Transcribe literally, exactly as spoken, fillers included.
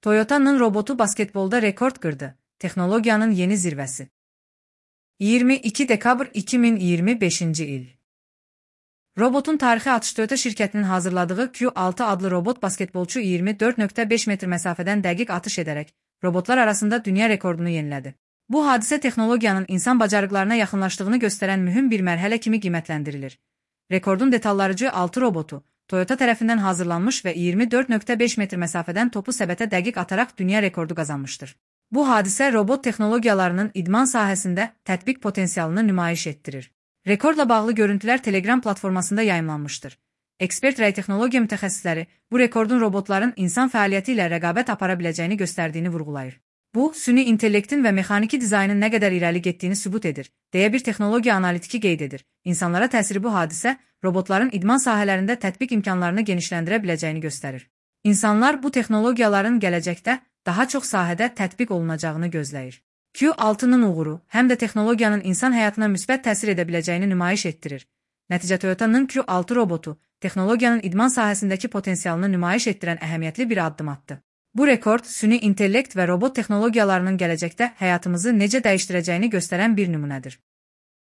Toyota'nın robotu basketbolda rekord kırdı. Teknologiyanın yeni zirvəsi. iyirmi iki dekabr iki min iyirmi beşinci il. Robotun tarixi atış Toyota şirkətinin hazırladığı Q altı adlı robot basketbolçu iyirmi dörd nöqtə beş metr məsafədən dəqiq atış edərək, robotlar arasında dünya rekordunu yenilədi. Bu hadisə texnologiyanın insan bacarıqlarına yaxınlaşdığını göstərən mühüm bir mərhələ kimi qiymətləndirilir. Rekordun detallarıcı altı robotu, Toyota tərəfindən hazırlanmış və iyirmi dörd nöqtə beş metr məsafədən topu səbətə dəqiq ataraq dünya rekordu qazanmışdır. Bu hadisə robot texnologiyalarının idman sahəsində tətbiq potensialını nümayiş etdirir. Rekordla bağlı görüntülər Telegram platformasında yayımlanmışdır. Ekspert rəy texnologiya mütəxəssisləri bu rekordun robotların insan fəaliyyəti ilə rəqabət apara biləcəyini göstərdiyini vurğulayır. Bu, süni intellektin və mexaniki dizaynın nə qədər irəli getdiyini sübut edir, deyə bir texnologiya analitiki qeyd edir. İnsanlara təsiri bu hadisə, robotların idman sahələrində tətbiq imkanlarını genişləndirə biləcəyini göstərir. İnsanlar bu texnologiyaların gələcəkdə daha çox sahədə tətbiq olunacağını gözləyir. Q altının uğuru, həm də texnologiyanın insan həyatına müsbət təsir edə biləcəyini nümayiş etdirir. Nəticə Toyota'nın Q altı robotu, texnologiyanın idman sahəsindəki potensialını nümayiş etdirən əhəmiyyətli bir addım atdı. Bu rekord, süni intellekt və robot texnologiyalarının gələcəkdə həyatımızı necə dəyişdirəcəyini göstərən bir nümunədir.